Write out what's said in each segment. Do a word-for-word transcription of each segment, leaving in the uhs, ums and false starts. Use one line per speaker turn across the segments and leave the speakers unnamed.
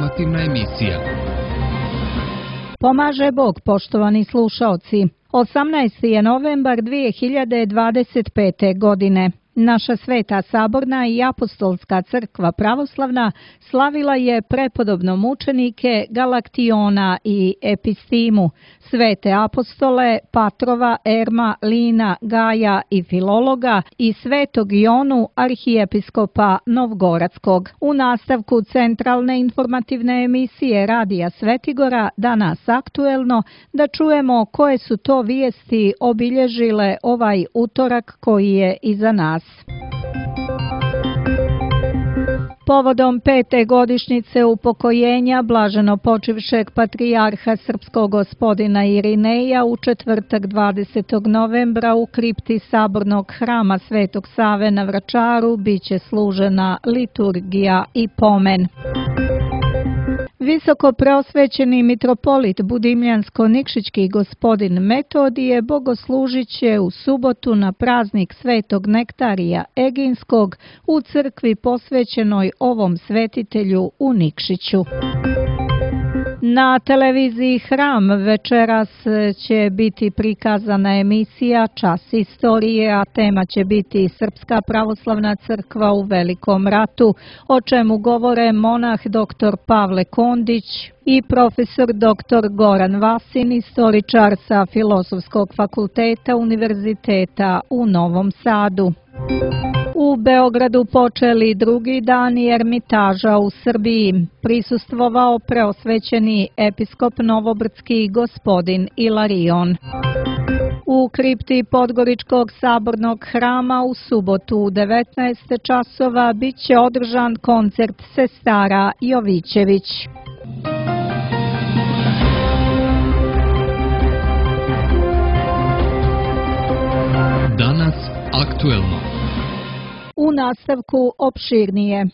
informativna emisija.
Pomaže Bog, poštovani slušaoci. osamnaesti je novembar dvije hiljade dvadeset pete. godine. Naša Sveta Saborna i Apostolska crkva pravoslavna slavila je prepodobno mučenike Galaktiona i Epistimu, svete apostole Patrova, Erma, Lina, Gaja i Filologa i svetog Ionu, arhijepiskopa Novgoradskog. U nastavku centralne informativne emisije Radija Svetigora, danas aktuelno, da čujemo koje su to vijesti obilježile ovaj utorak koji je iza nas. Povodom pete godišnjice upokojenja blaženo počivšeg patrijarha srpskog gospodina Irineja u četvrtak dvadesetog novembra u kripti Sabornog hrama Svetog Save na Vračaru biće služena liturgija i pomen. Visoko preosvećeni mitropolit Budimljansko-Nikšićki gospodin Metodije bogoslužit će u subotu na praznik Svetog Nektarija Eginskog u crkvi posvećenoj ovom svetitelju u Nikšiću. Na televiziji Hram večeras će biti prikazana emisija Čas istorije, a tema će biti Srpska pravoslavna crkva u Velikom ratu, o čemu govore monah doktor Pavle Kondić i profesor doktor Goran Vasin, istoričar sa Filozofskog fakulteta Univerziteta u Novom Sadu. U Beogradu počeli drugi dani Ermitaža u Srbiji. Prisustvovao preosvećeni episkop Novobrdski gospodin Ilarion. U kripti Podgoričkog sabornog hrama u subotu u devetnaest časova bit će održan koncert sestara Jovićević.
Danas aktuelno.
U nastavku opširnije.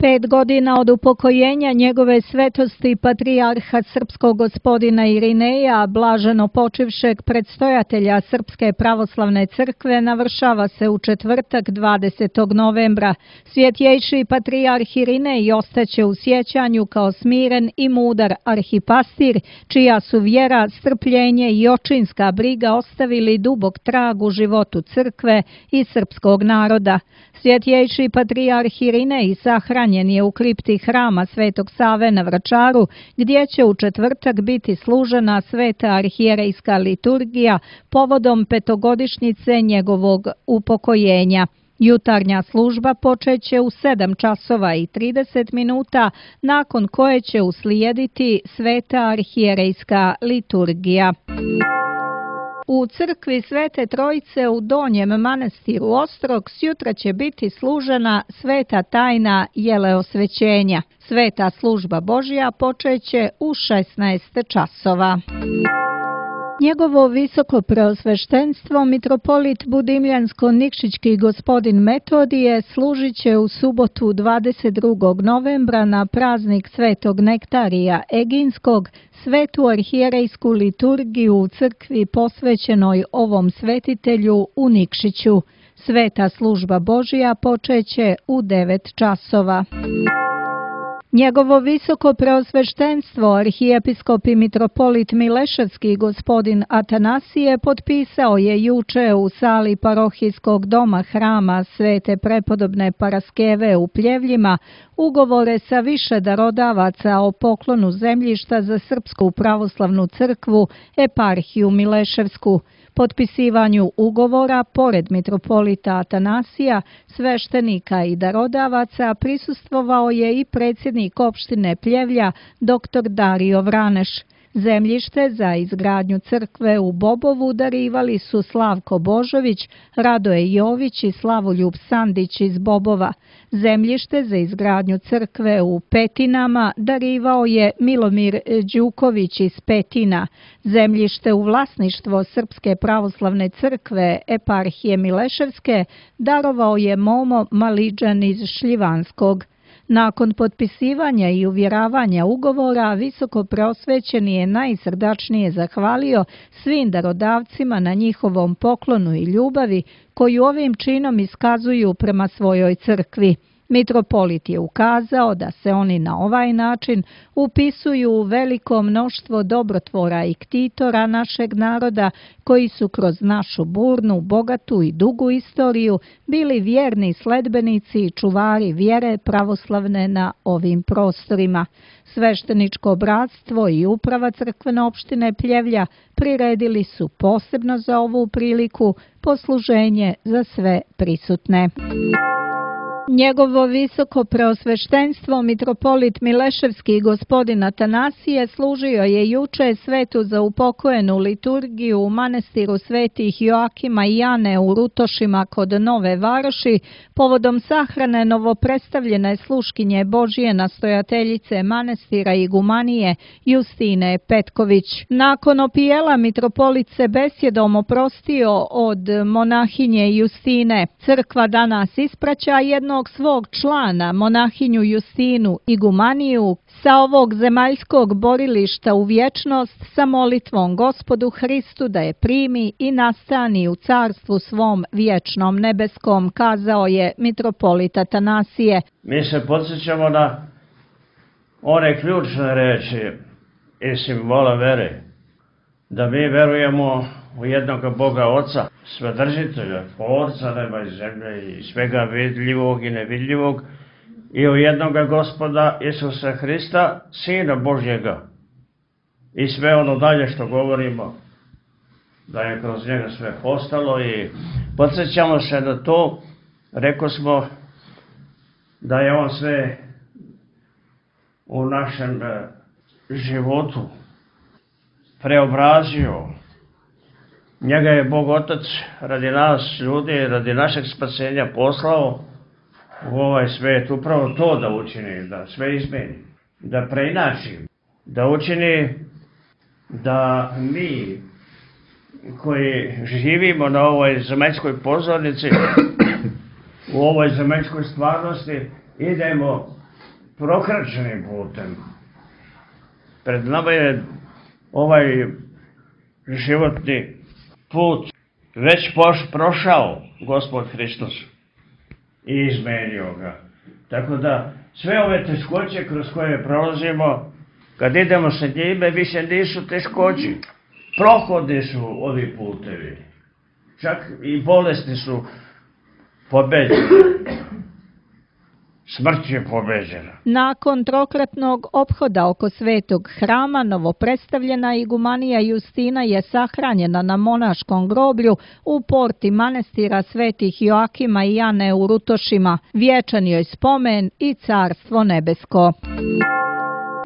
Pet godina od upokojenja njegove svetosti patrijarha srpskog gospodina Irineja, blaženo počivšeg predstojatelja Srpske pravoslavne crkve, navršava se u četvrtak dvadesetog novembra. Svjetjejši patrijarh Irinej ostaće u sjećanju kao smiren i mudar arhipastir, čija su vjera, strpljenje i očinska briga ostavili dubok trag u životu crkve i srpskog naroda. Svjetjejši patrijarh Irinej sahranjen je u kripti hrama Svetog Save na Vračaru, gdje će u četvrtak biti služena sveta arhijerejska liturgija povodom petogodišnjice njegovog upokojenja. Jutarnja služba počeće u sedam časova i trideset minuta, nakon koje će uslijediti sveta arhijerejska liturgija. U crkvi Svete Trojice u Donjem manastiru Ostrog sjutra će biti služena sveta tajna jeleosvećenja. Sveta služba Božja počeće u šesnaest časova. Njegovo visoko preosveštenstvo mitropolit Budimljansko-Nikšićki gospodin Metodije služit će u subotu dvadeset drugog novembra na praznik Svetog Nektarija Eginskog svetu arhijerejsku liturgiju u crkvi posvećenoj ovom svetitelju u Nikšiću. Sveta služba Božja počeće u devet časova. Njegovo visoko preosveštenstvo arhijepiskop i mitropolit Mileševski gospodin Atanasije potpisao je juče u sali parohijskog doma hrama Svete prepodobne Paraskeve u Pljevljima ugovore sa više darodavaca o poklonu zemljišta za Srpsku pravoslavnu crkvu eparhiju Mileševsku. Potpisivanju ugovora, pored mitropolita Atanasija, sveštenika i darodavaca, prisustvovao je i predsjednik opštine Pljevlja, doktor Dario Vraneš. Zemljište za izgradnju crkve u Bobovu darivali su Slavko Božović, Radoje Jović i Slavoljub Sandić iz Bobova. Zemljište za izgradnju crkve u Petinama darivao je Milomir Đuković iz Petina. Zemljište u vlasništvo Srpske pravoslavne crkve eparhije Mileševske darovao je Momo Maliđan iz Šljivanskog. Nakon potpisivanja i uvjeravanja ugovora, visoko preosvećeni je najsrdačnije zahvalio svim darodavcima na njihovom poklonu i ljubavi koju ovim činom iskazuju prema svojoj crkvi. Mitropolit je ukazao da se oni na ovaj način upisuju u veliko mnoštvo dobrotvora i ktitora našeg naroda koji su kroz našu burnu, bogatu i dugu istoriju bili vjerni sledbenici i čuvari vjere pravoslavne na ovim prostorima. Svešteničko bratstvo i uprava crkvene opštine Pljevlja priredili su posebno za ovu priliku posluženje za sve prisutne. Njegovo visoko preosveštenstvo mitropolit Mileševski gospodin Atanasije služio je juče svetu za upokojenu liturgiju u manastiru svetih Joakima i Jane u Rutošima kod Nove Varoši povodom sahrane novopredstavljene sluškinje Božije nastojateljice manastira igumanije Justine Petković. Nakon opijela mitropolit se besjedom oprostio od monahinje Justine. Crkva danas ispraća jedno svog člana, monahinju Justinu Igumaniju, sa ovog zemaljskog borilišta u vječnost sa molitvom Gospodu Hristu da je primi i nastani u carstvu svom vječnom nebeskom, kazao je mitropolit Atanasije.
Mi se podsjećamo na one ključne reči i simbola vere, da mi verujemo u jednog Boga Oca, Svedržitelja, Tvorca neba i zemlje i svega vidljivog i nevidljivog, i u jednog Gospoda Isusa Hrista, Sina Božjega. I sve ono dalje što govorimo, da je kroz njega sve postalo, i podsjećamo se na to, rekao smo da je on sve u našem životu preobrazio. Njega je Bog Otac radi nas ljudi, radi našeg spasenja poslao u ovaj svet, upravo to da učini, da sve izmeni, da preinači, da učini da mi koji živimo na ovoj zemaljskoj pozornici, u ovoj zemaljskoj stvarnosti, idemo prokračenim putem. Pred nama je ovaj životni put već poš, prošao Gospod Hristos i izmenio ga. Tako da sve ove teškoće kroz koje prolazimo, kad idemo sa njime, više nisu teškoće. Prohodni su ovi putevi. Čak i bolesti su pobeđene. Smrt je pobeđena.
Nakon trokratnog ophoda oko svetog hrama, novopredstavljena igumanija Justina je sahranjena na monaškom groblju u porti manastira svetih Joakima i Jane u Rutošima. Vječan joj spomen i carstvo nebesko.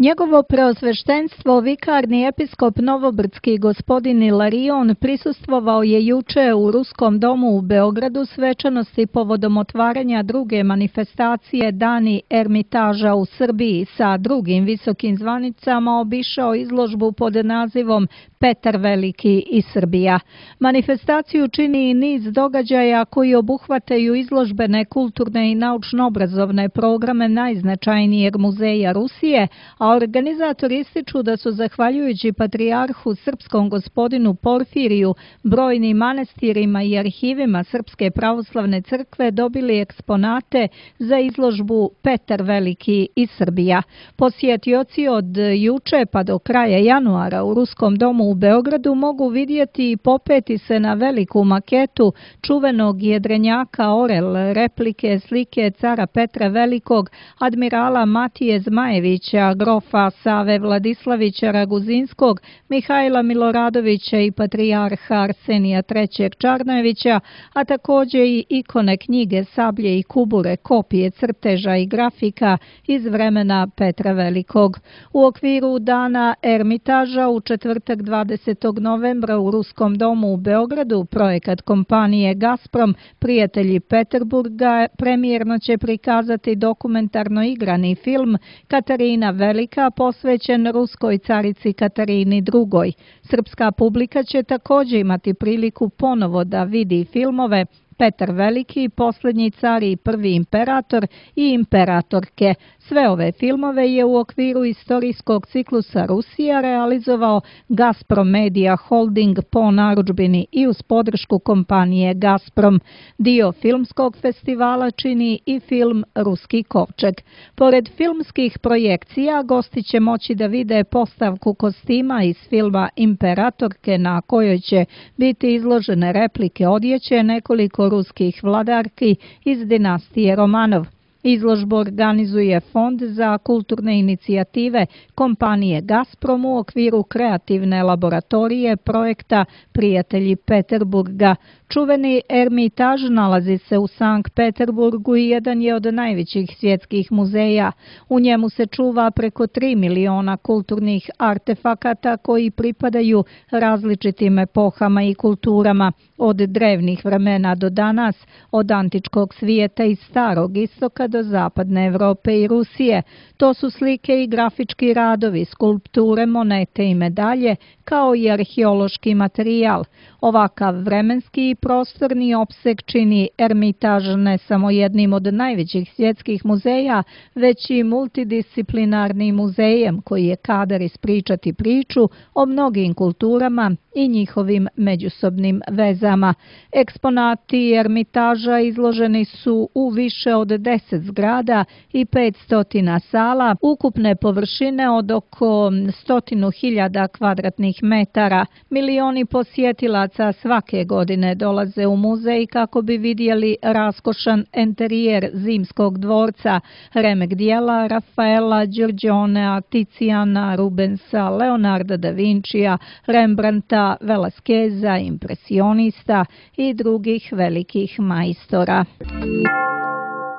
Njegovo preosveštenstvo, vikarni episkop Novobrdski gospodin Ilarion, prisustvovao je juče u Ruskom domu u Beogradu svečanosti povodom otvaranja druge manifestacije Dani Ermitaža u Srbiji. Sa drugim visokim zvanicama obišao izložbu pod nazivom Petar Veliki i Srbija. Manifestaciju čini i niz događaja koji obuhvataju izložbene, kulturne i naučno-obrazovne programe najznačajnijeg muzeja Rusije, a organizatori ističu da su zahvaljujući patrijarhu srpskom gospodinu Porfiriju, brojnim manastirima i arhivima Srpske pravoslavne crkve dobili eksponate za izložbu Petar Veliki i Srbija. Posjetioci od juče pa do kraja januara u Ruskom domu u Beogradu mogu vidjeti i popeti se na veliku maketu čuvenog jedrenjaka Orel, replike slike cara Petra Velikog, admirala Matije Zmajevića, grofa Save Vladislavića Raguzinskog, Mihajla Miloradovića i patrijarha Arsenija trećeg Čarnojevića, a također i ikone, knjige, sablje i kubure, kopije crteža i grafika iz vremena Petra Velikog. U okviru Dana Ermitaža u četvrtak dvadesetog novembra u Ruskom domu u Beogradu projekat kompanije Gazprom Prijatelji Peterburga premijerno će prikazati dokumentarno igrani film Katarina Velika posvećen ruskoj carici Katarini drugoj. Srpska publika će također imati priliku ponovo da vidi filmove Petar Veliki, Posljednji car i prvi imperator i imperatorke. Sve ove filmove je u okviru istorijskog ciklusa Rusija realizovao Gazprom Media Holding po narudžbini i uz podršku kompanije Gazprom. Dio filmskog festivala čini i film Ruski kovčeg. Pored filmskih projekcija, gosti će moći da vide postavku kostima iz filma Imperatorke na kojoj će biti izložene replike odjeće nekoliko ruskih vladarki iz dinastije Romanov. Izložbu organizuje Fond za kulturne inicijative kompanije Gazprom u okviru kreativne laboratorije projekta Prijatelji Peterburga. Čuveni Ermitaž nalazi se u Sankt Peterburgu i jedan je od najvećih svjetskih muzeja. U njemu se čuva preko tri miliona kulturnih artefakata koji pripadaju različitim epohama i kulturama, od drevnih vremena do danas, od antičkog svijeta i starog istoka do zapadne Evrope i Rusije. To su slike i grafički radovi, skulpture, monete i medalje, kao i arheološki materijal. Ovakav vremenski i prostorni opseg čini Ermitaž ne samo jednim od najvećih svjetskih muzeja, već i multidisciplinarnim muzejem koji je kadar ispričati priču o mnogim kulturama i njihovim međusobnim vezama. Eksponati Ermitaža izloženi su u više od deset zgrada i petsto sala, ukupne površine od oko stotinu hiljada kvadratnih metara. Milioni posjetilaca svake godine dolaze u muzej kako bi vidjeli raskošan enterijer Zimskog dvorca, remek dijela Rafaela, Giorgionea, Tiziana, Rubensa, Leonarda da Vincija, Rembrandta, Velasqueza, impresionista i drugih velikih majstora.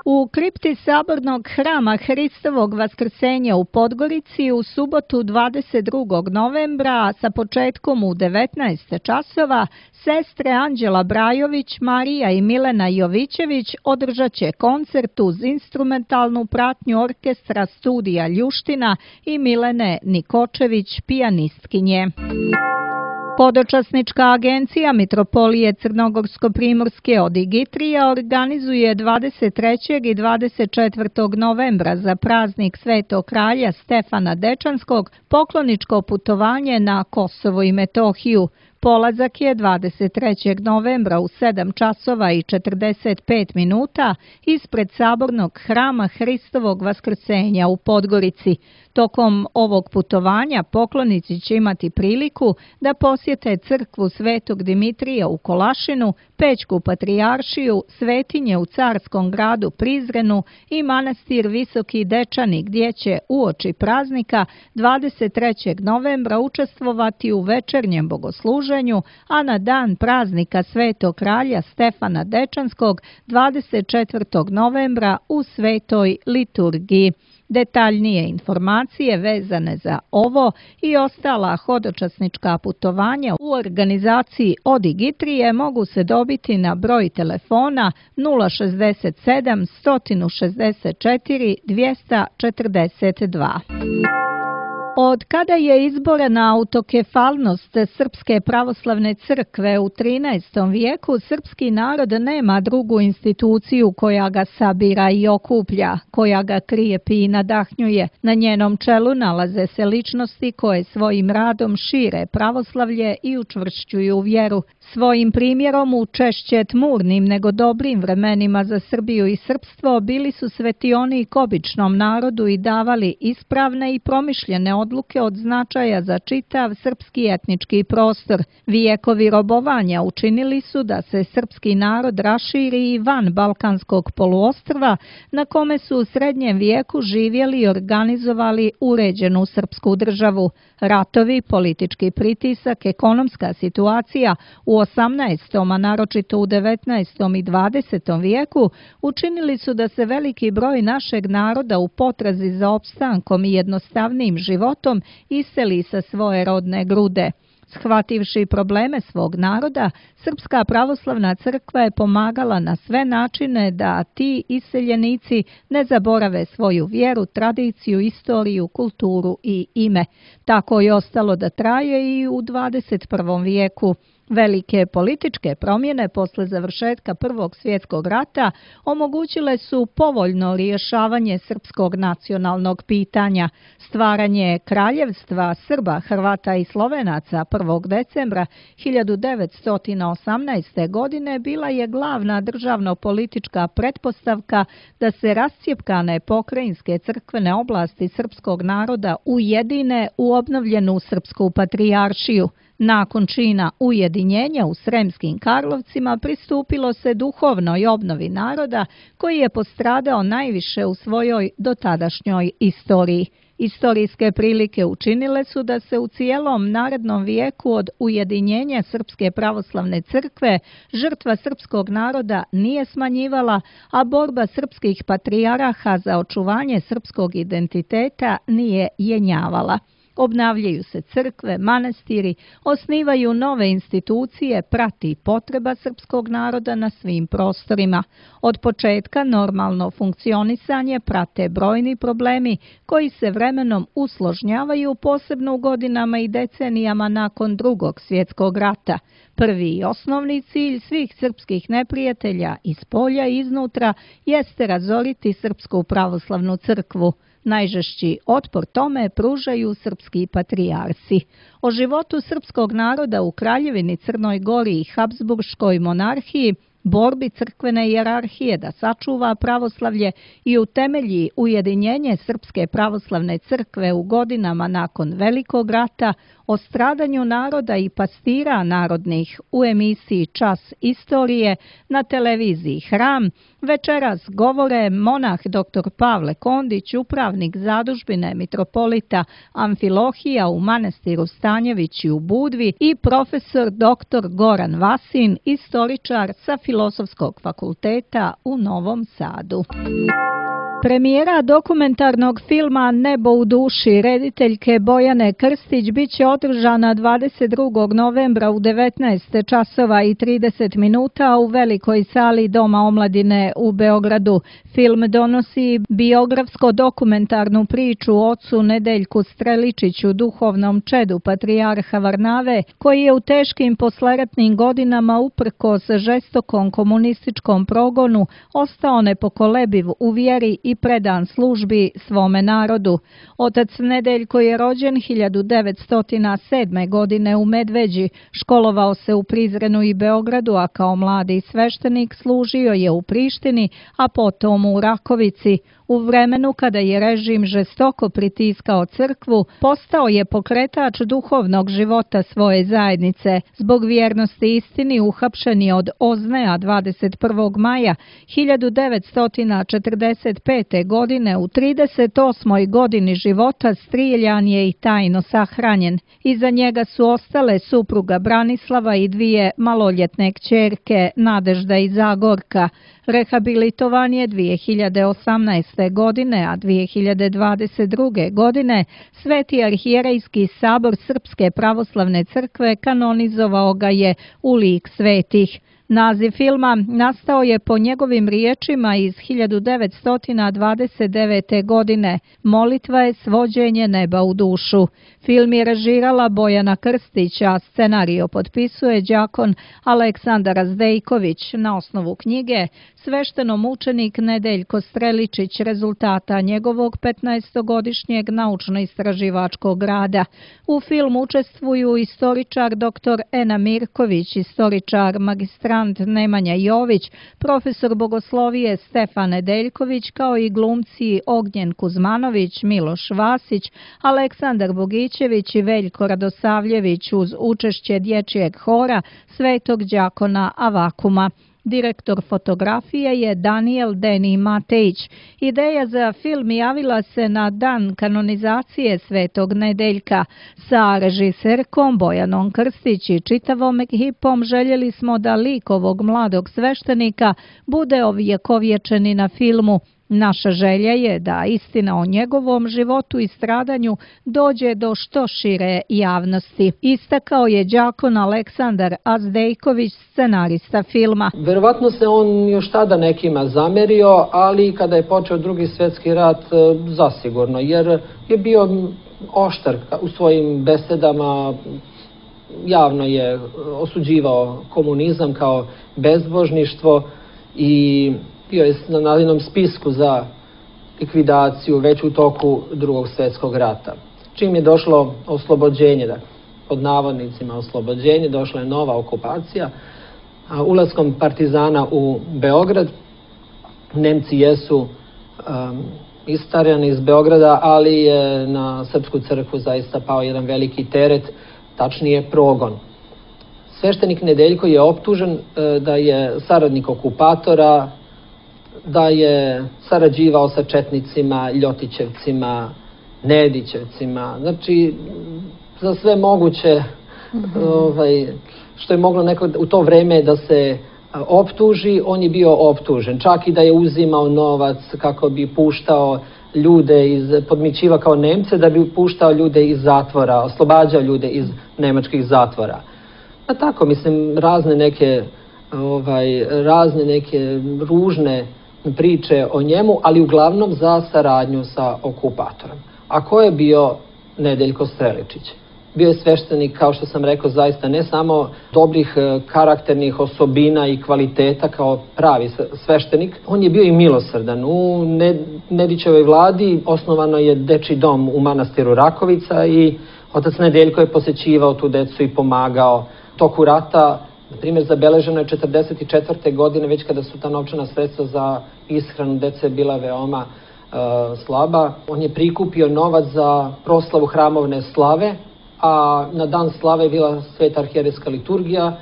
U kripti Sabornog hrama Hristovog vaskrsenja u Podgorici u subotu dvadeset drugog novembra sa početkom u devetnaest časova sestre Anđela Brajović, Marija i Milena Jovićević održat će koncert uz instrumentalnu pratnju orkestra Studija Ljuština i Milene Nikočević, pijanistkinje. Podočasnička agencija Mitropolije Crnogorsko-Primorske Odigitrija organizuje dvadeset trećeg i dvadeset četvrtog novembra za praznik Svetog kralja Stefana Dečanskog pokloničko putovanje na Kosovo i Metohiju. Polazak je dvadeset trećeg novembra u sedam časova i četrdeset pet minuta ispred Sabornog hrama Hristovog vaskrsenja u Podgorici. Tokom ovog putovanja poklonici će imati priliku da posjete crkvu Svetog Dimitrija u Kolašinu, Pećku patrijaršiju, svetinje u carskom gradu Prizrenu i manastir Visoki Dečani gdje će uoči praznika dvadeset trećeg novembra učestvovati u večernjem bogosluženju, a na dan praznika Svetog kralja Stefana Dečanskog dvadeset četvrtog novembra u svetoj liturgiji. Detaljnije informacije vezane za ovo i ostala hodočasnička putovanja u organizaciji Odigitrije mogu se dobiti na broj telefona nula šezdeset sedam, sto šezdeset četiri, dvjesto četrdeset dva. Od kada je izborena autokefalnost Srpske pravoslavne crkve u trinaestom vijeku, srpski narod nema drugu instituciju koja ga sabira i okuplja, koja ga krijepi i nadahnjuje. Na njenom čelu nalaze se ličnosti koje svojim radom šire pravoslavlje i učvršćuju vjeru. Svojim primjerom u češće tmurnim nego dobrim vremenima za Srbiju i srpstvo bili su svetionik običnom narodu i davali ispravne i promišljene odluke od značaja za čitav srpski etnički prostor. Vijekovi robovanja učinili su da se srpski narod raširi i van Balkanskog poluostrva, na kome su u srednjem vijeku živjeli i organizovali uređenu srpsku državu. Ratovi, politički pritisak, ekonomska situacija u osamnaestom. a naročito u devetnaestom. i dvadesetom vijeku učinili su da se veliki broj našeg naroda u potrazi za opstankom i jednostavnim životom iseli sa svoje rodne grude. Shvativši probleme svog naroda, Srpska pravoslavna crkva je pomagala na sve načine da ti iseljenici ne zaborave svoju vjeru, tradiciju, istoriju, kulturu i ime. Tako je ostalo da traje i u dvadeset prvom vijeku. Velike političke promjene posle završetka Prvog svjetskog rata omogućile su povoljno rješavanje srpskog nacionalnog pitanja. Stvaranje Kraljevstva Srba, Hrvata i Slovenaca prvog decembra hiljadu devetsto osamnaeste. godine bila je glavna državno-politička pretpostavka da se rascjepkane pokrajinske crkvene oblasti srpskog naroda ujedine u obnovljenu srpsku patrijaršiju. Nakon čina ujedinjenja u Sremskim Karlovcima pristupilo se duhovnoj obnovi naroda koji je postradao najviše u svojoj dotadašnjoj istoriji. Istorijske prilike učinile su da se u cijelom narednom vijeku od ujedinjenja Srpske pravoslavne crkve žrtva srpskog naroda nije smanjivala, a borba srpskih patrijaraha za očuvanje srpskog identiteta nije jenjavala. Obnavljaju se crkve, manastiri, osnivaju nove institucije, prati potreba srpskog naroda na svim prostorima. Od početka normalno funkcionisanje prate brojni problemi koji se vremenom usložnjavaju, posebno u godinama i decenijama nakon Drugog svjetskog rata. Prvi i osnovni cilj svih srpskih neprijatelja iz polja i iznutra jeste razoriti Srpsku pravoslavnu crkvu. Najžešći otpor tome pružaju srpski patrijarsi. O životu srpskog naroda u Kraljevini Crnoj Gori i Habsburškoj monarhiji, borbi crkvene hijerarhije da sačuva pravoslavlje i utemelji ujedinjenje Srpske pravoslavne crkve u godinama nakon Velikog rata, o stradanju naroda i pastira narodnih u emisiji Čas istorije na televiziji Hram, večeras govore monah doktor Pavle Kondić, upravnik zadužbine mitropolita Amfilohija u manastiru Stanjevići u Budvi i profesor doktor Goran Vasin, istoričar sa Filozofskog fakulteta u Novom Sadu. Premijera dokumentarnog filma Nebo u duši rediteljke Bojane Krstić biće održana dvadeset drugog novembra u devetnaest časova i trideset minuta u velikoj sali Doma omladine u Beogradu. Film donosi biografsko-dokumentarnu priču o ocu Nedeljku Streličiću, duhovnom čedu patrijarha Varnave, koji je u teškim posleratnim godinama uprkos žestokom komunističkom progonu ostao nepokolebiv u vjeri i predan službi svome narodu. Otac Nedeljko je rođen hiljadu devetsto sedme. godine u Medveđi, školovao se u Prizrenu i Beogradu, a kao mladi sveštenik služio je u Prištini, a potom u Rakovici. U vremenu kada je režim žestoko pritiskao crkvu, postao je pokretač duhovnog života svoje zajednice. Zbog vjernosti istini uhapšen je od Ozneja dvadeset prvog maja hiljadu devetsto četrdeset pete. godine. U trideset osmoj godini života striljan je i tajno sahranjen. Iza njega su ostale supruga Branislava i dvije maloljetne kćerke Nadežda i Zagorka. Rehabilitovan je dvije hiljade osamnaeste. godine, a dvije hiljade dvadeset druge. godine Sveti arhijerejski sabor Srpske pravoslavne crkve kanonizovao ga je u lik svetih. Naziv filma nastao je po njegovim riječima iz hiljadu devetsto dvadeset devete. godine. Molitva je svođenje neba u dušu. Film je režirala Bojana Krstić, a scenario potpisuje đakon Aleksandar Zdejković na osnovu knjige Sveštenomučenik Nedeljko Streličić, rezultata njegovog petnaestogodišnjeg naučno-istraživačkog rada. U filmu učestvuju istoričar doktor Ena Mirković, istoričar magistrant Nemanja Jović, profesor bogoslovije Stefan Nedeljković, kao i glumci Ognjen Kuzmanović, Miloš Vasić, Aleksandar Bogićević i Veljko Radosavljević uz učešće dječjeg hora Svetog đakona Avakuma. Direktor fotografije je Daniel Deni Matejić. Ideja za film javila se na dan kanonizacije Svetog Nedeljka. Sa režiserkom Bojanom Krstić i čitavom ekipom željeli smo da lik ovog mladog sveštenika bude ovjekovječen i na filmu. Naša želja je da istina o njegovom životu i stradanju dođe do što šire javnosti. Istakao je đakon Aleksandar Azdejković, scenarista filma.
Verovatno se on još tada nekima zamerio, ali kada je počeo Drugi svjetski rat, zasigurno, jer je bio oštar u svojim besedama, javno je osuđivao komunizam kao bezbožništvo i bio je na nadinom spisku za likvidaciju već u toku Drugog svjetskog rata. Čim je došlo oslobođenje, da, pod navodnicima oslobođenje, došla je nova okupacija. A ulaskom partizana u Beograd, Nemci jesu um, istarani iz Beograda, ali je na Srpsku crkvu zaista pao jedan veliki teret, tačnije progon. Sveštenik Nedeljko je optužen uh, da je saradnik okupatora, da je sarađivao sa četnicima, Ljotićevcima, Nedićevcima, znači za sve moguće mm-hmm. ovaj, što je moglo neko u to vreme da se optuži, on je bio optužen. Čak i da je uzimao novac kako bi puštao ljude iz, podmićiva kao Nemce, da bi puštao ljude iz zatvora, oslobađao ljude iz nemačkih zatvora. A tako, mislim, razne neke, ovaj, razne neke ružne priče o njemu, ali uglavnom za saradnju sa okupatorom. A ko je bio Nedeljko Streličić? Bio je sveštenik, kao što sam rekao, zaista ne samo dobrih karakternih osobina i kvaliteta kao pravi sveštenik, on je bio i milosrdan. U Nedićevoj vladi osnovano je dečiji dom u manastiru Rakovica i otac Nedeljko je posećivao tu decu i pomagao. Toku rata, na primjer, zabeleženo je četrdeset četvrte godine, već kada su ta novčana sredstva za ishranu dece bila veoma uh, slaba. On je prikupio novac za proslavu hramovne slave, a na dan slave je bila sveta arhijerejska liturgija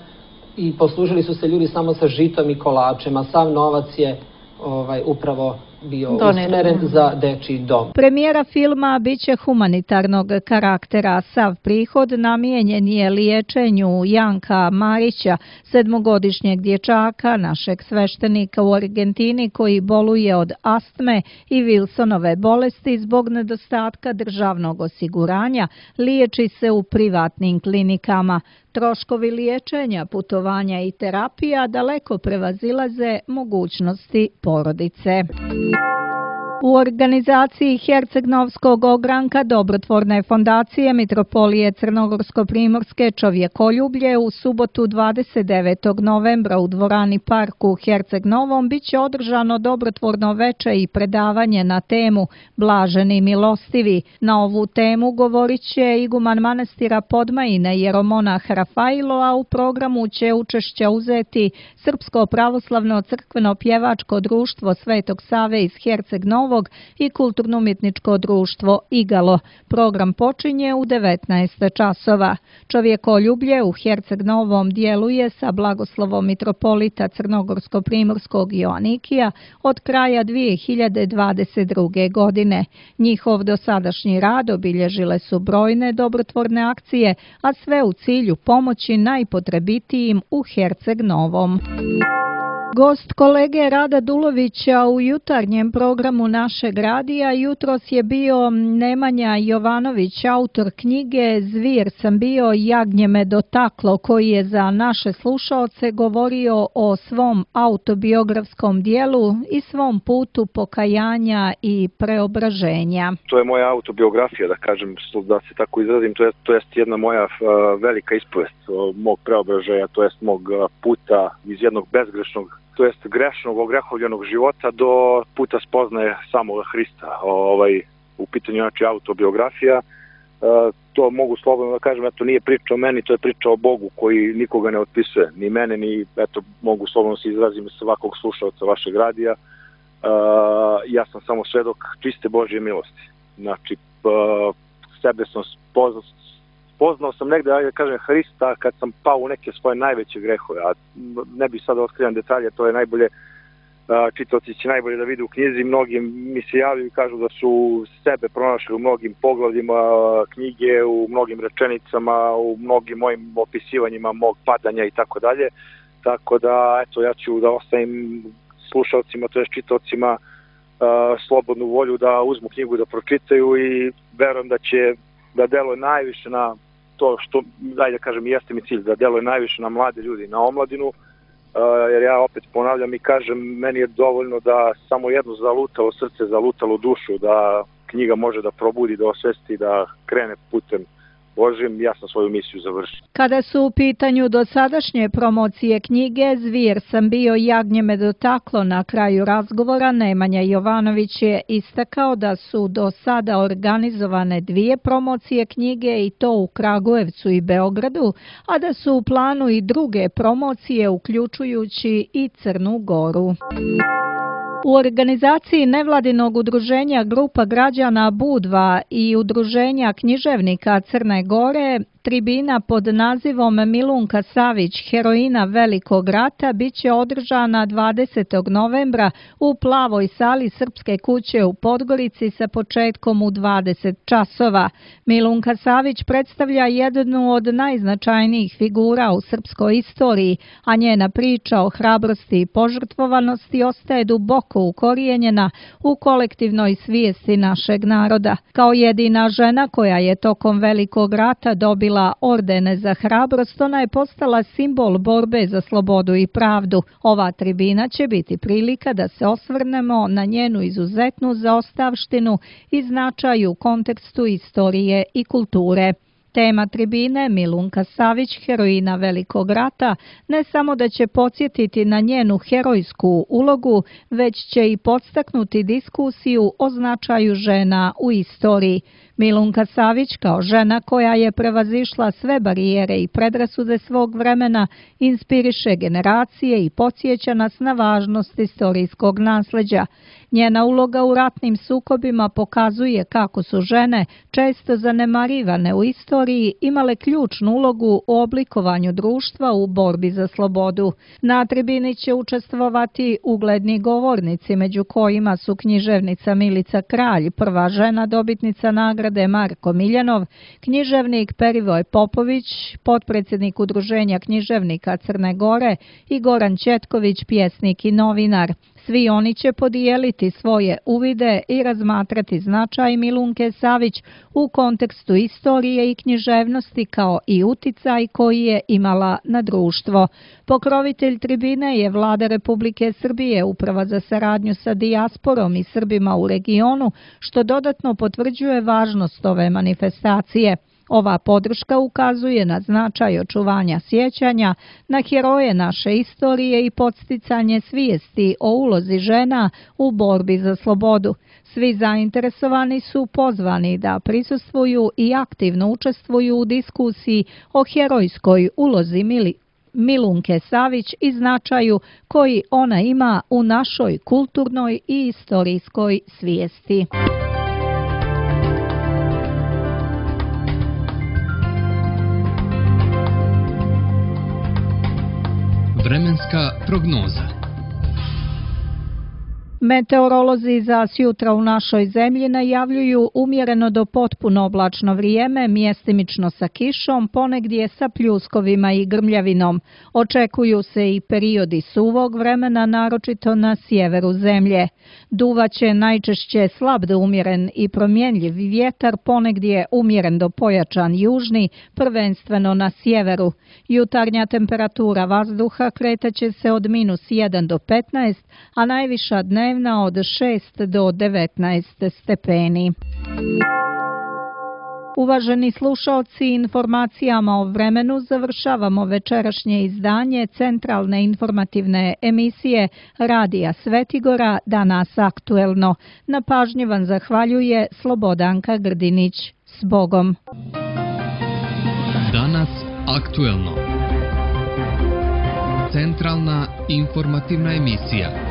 i poslužili su se ljudi samo sa žitom i kolačem, a sav novac je ovaj, upravo bio usmeren za dečiji dom.
Premijera filma biće humanitarnog karaktera. Sav prihod namijenjen je liječenju Janka Marića, sedmogodišnjeg dječaka, našeg sveštenika u Argentini koji boluje od astme i Wilsonove bolesti zbog nedostatka državnog osiguranja, liječi se u privatnim klinikama. Troškovi liječenja, putovanja i terapija daleko prevazilaze mogućnosti porodice. U organizaciji Herceg-Novskog ogranka Dobrotvorne fondacije Mitropolije Crnogorsko-Primorske Čovjekoljublje u subotu dvadeset devetog novembra u dvorani Park u Herceg-Novom biće održano dobrotvorno veče i predavanje na temu Blaženi milostivi. Na ovu temu govorit će iguman manastira Podmajine jeromonah Rafailo, a u programu će učešća uzeti Srpsko pravoslavno crkveno pjevačko društvo Svetog Save iz Herceg-Novog i kulturno-umjetničko društvo Igalo. Program počinje u devetnaest časova. Čovjekoljublje u Herceg-Novom djeluje sa blagoslovom mitropolita Crnogorsko-Primorskog Joanikija od kraja dvije hiljade dvadeset druge. godine. Njihov dosadašnji rad obilježile su brojne dobrotvorne akcije, a sve u cilju pomoći najpotrebitijim u Herceg-Novom. Gost kolege Rada Dulovića u jutarnjem programu našeg radija jutros je bio Nemanja Jovanović, autor knjige Zvir sam bio, jagnje me dotaklo, koji je za naše slušaoce govorio o svom autobiografskom dijelu i svom putu pokajanja i preobraženja.
To je moja autobiografija, da kažem, da se tako izrazim, to je, to jest jedna moja uh, velika ispovest mog preobraženja, to jest mog puta iz jednog bezgrešnog, to jest grešnog, ogrehovljenog života do puta spoznaje samoga Hrista. Ovaj, u pitanju znači autobiografija, e, to mogu slobodno da kažem, eto nije priča o meni, to je priča o Bogu koji nikoga ne otpisuje, ni mene, ni, eto, mogu slobodno se izrazim svakog slušalca vašeg radija. E, ja sam samo svedok čiste Božje milosti. Znači, e, sebe sam spoznao, Poznao sam negde, ajde kažem, Hrista kad sam pao u neke svoje najveće grehove, a ne bih sada otkrivam detalje, to je najbolje, čitaoci će najbolje da vide u knjizi, mnogi mi se javljaju i kažu da su sebe pronašli u mnogim poglavljima knjige, u mnogim rečenicama, u mnogim mojim opisivanjima mog padanja i tako dalje, tako da, eto, ja ću da ostavim slušalcima, to je čitaocima, slobodnu volju da uzmu knjigu da pročitaju i verujem da će da deluje najviše na to što, daj da kažem, jeste mi cilj, da deluje najviše na mlade ljudi, na omladinu, uh, jer ja opet ponavljam i kažem, meni je dovoljno da samo jedno zalutalo srce, zalutalo dušu, da knjiga može da probudi, da osvesti, da krene putem Božim, ja sam svoju misiju završio.
Kada su u pitanju dosadašnje promocije knjige Zvir sam bio, jagnje me dotaklo, na kraju razgovora Nemanja Jovanović je istakao da su do sada organizovane dvije promocije knjige i to u Kragujevcu i Beogradu, a da su u planu i druge promocije uključujući i Crnu Goru. U organizaciji nevladinog udruženja Grupa građana Budva i udruženja književnika Crne Gore tribina pod nazivom Milunka Savić, heroina Velikog rata, bit će održana dvadesetog novembra u Plavoj sali Srpske kuće u Podgorici sa početkom u dvadeset časova. Milunka Savić predstavlja jednu od najznačajnijih figura u srpskoj istoriji, a njena priča o hrabrosti i požrtvovanosti ostaje duboko ukorijenjena u kolektivnoj svijesti našeg naroda. Kao jedina žena koja je tokom Velikog rata dobila ordene za hrabrost, ona je postala simbol borbe za slobodu i pravdu. Ova tribina će biti prilika da se osvrnemo na njenu izuzetnu zaostavštinu i značaj u kontekstu istorije i kulture. Tema tribine Milunka Savić, heroina Velikog rata, ne samo da će podsjetiti na njenu herojsku ulogu, već će i podstaknuti diskusiju o značaju žena u istoriji. Milunka Savić, kao žena koja je prevazišla sve barijere i predrasude svog vremena, inspiriše generacije i podsjeća nas na važnost istorijskog nasleđa. Njena uloga u ratnim sukobima pokazuje kako su žene, često zanemarivane u istoriji, imale ključnu ulogu u oblikovanju društva u borbi za slobodu. Na tribini će učestvovati ugledni govornici, među kojima su književnica Milica Kralj, prva žena dobitnica nagrade Marko Miljanov, književnik Perivoj Popović, potpredsjednik Udruženja književnika Crne Gore i Goran Ćetković, pjesnik i novinar. Svi oni će podijeliti svoje uvide i razmatrati značaj Milunke Savić u kontekstu istorije i književnosti kao i uticaj koji je imala na društvo. Pokrovitelj tribine je Vlada Republike Srbije, Uprava za saradnju sa dijasporom i Srbima u regionu, što dodatno potvrđuje važnost ove manifestacije. Ova podrška ukazuje na značaj očuvanja sjećanja na heroje naše istorije i podsticanje svijesti o ulozi žena u borbi za slobodu. Svi zainteresovani su pozvani da prisustvuju i aktivno učestvuju u diskusiji o herojskoj ulozi Mili Milunke Savić i značaju koji ona ima u našoj kulturnoj i istorijskoj svijesti.
Vremenska prognoza.
Meteorolozi za sjutra u našoj zemlji najavljuju umjereno do potpuno oblačno vrijeme, mjestimično sa kišom, ponegdje sa pljuskovima i grmljavinom. Očekuju se i periodi suvog vremena, naročito na sjeveru zemlje. Duvaće najčešće slab do umjeren i promjenljiv vjetar, ponegdje umjeren do pojačan južni, prvenstveno na sjeveru. Jutarnja temperatura vazduha kretaće se od minus jedan do petnaest, a najviša dnevna od šest do devetnaest stepeni. Uvaženi slušalci, informacijama o vremenu završavamo večerašnje izdanje centralne informativne emisije Radija Svetigora Danas aktuelno. Na pažnji vam zahvaljuje Slobodanka Grdinić. S Bogom!
Danas aktuelno. Centralna informativna emisija.